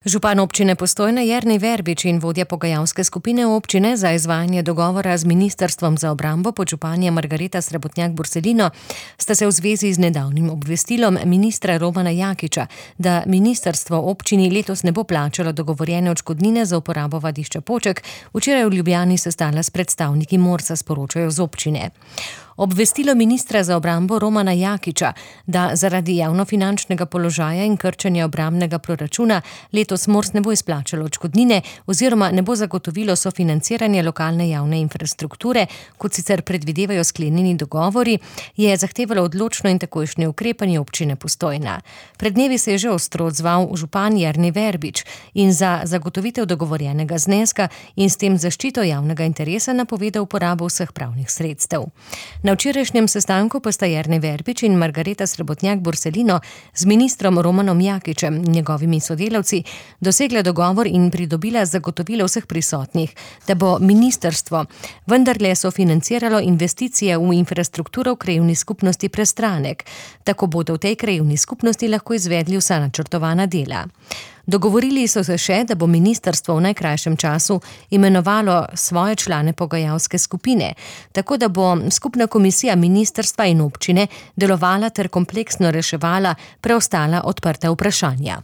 Župan občine Postojna Jernej Verbič in vodja pogajalske skupine občine za izvajanje dogovora z Ministrstvom za obrambo podžupanja Margareta Srebotnjak-Borselino sta se v zvezi z nedavnim obvestilom ministra Romana Jakiča, da ministrstvo občini letos ne bo plačalo dogovorjene odškodnine za uporabo vadišča Poček, včeraj v Ljubljani sestala s predstavniki Morsa, sporočajo z občine. Obvestilo ministra za obrambo Romana Jakiča, da zaradi javnofinančnega položaja in krčenja obrambnega proračuna letos Mors ne bo izplačalo odškodnine oziroma ne bo zagotovilo sofinanciranje lokalne javne infrastrukture, kot sicer predvidevajo sklenjeni dogovori, je zahtevalo odločno in takojšnje ukrepanje občine Postojna. Pred dnevi se je že ostro odzval župan Jernej Verbič in za zagotovitev dogovorjenega zneska in s tem zaščito javnega interesa napovedal uporabo vseh pravnih sredstev. Na včerajšnjem sestanku pa sta Jernej Verbič in Margareta Srebotnjak-Borselino z ministrom Romanom Jakičem in njegovimi sodelavci dosegla dogovor in pridobila zagotovilo vseh prisotnih, da bo ministrstvo vendarle sofinanciralo investicije v infrastrukturo v krajevni skupnosti Prestranek. Tako bodo v tej krajevni skupnosti lahko izvedli vsa načrtovana dela. Dogovorili so se še, da bo ministrstvo v najkrajšem času imenovalo svoje člane pogajalske skupine, tako da bo skupna komisija ministrstva in občine delovala ter kompleksno reševala preostala odprta vprašanja.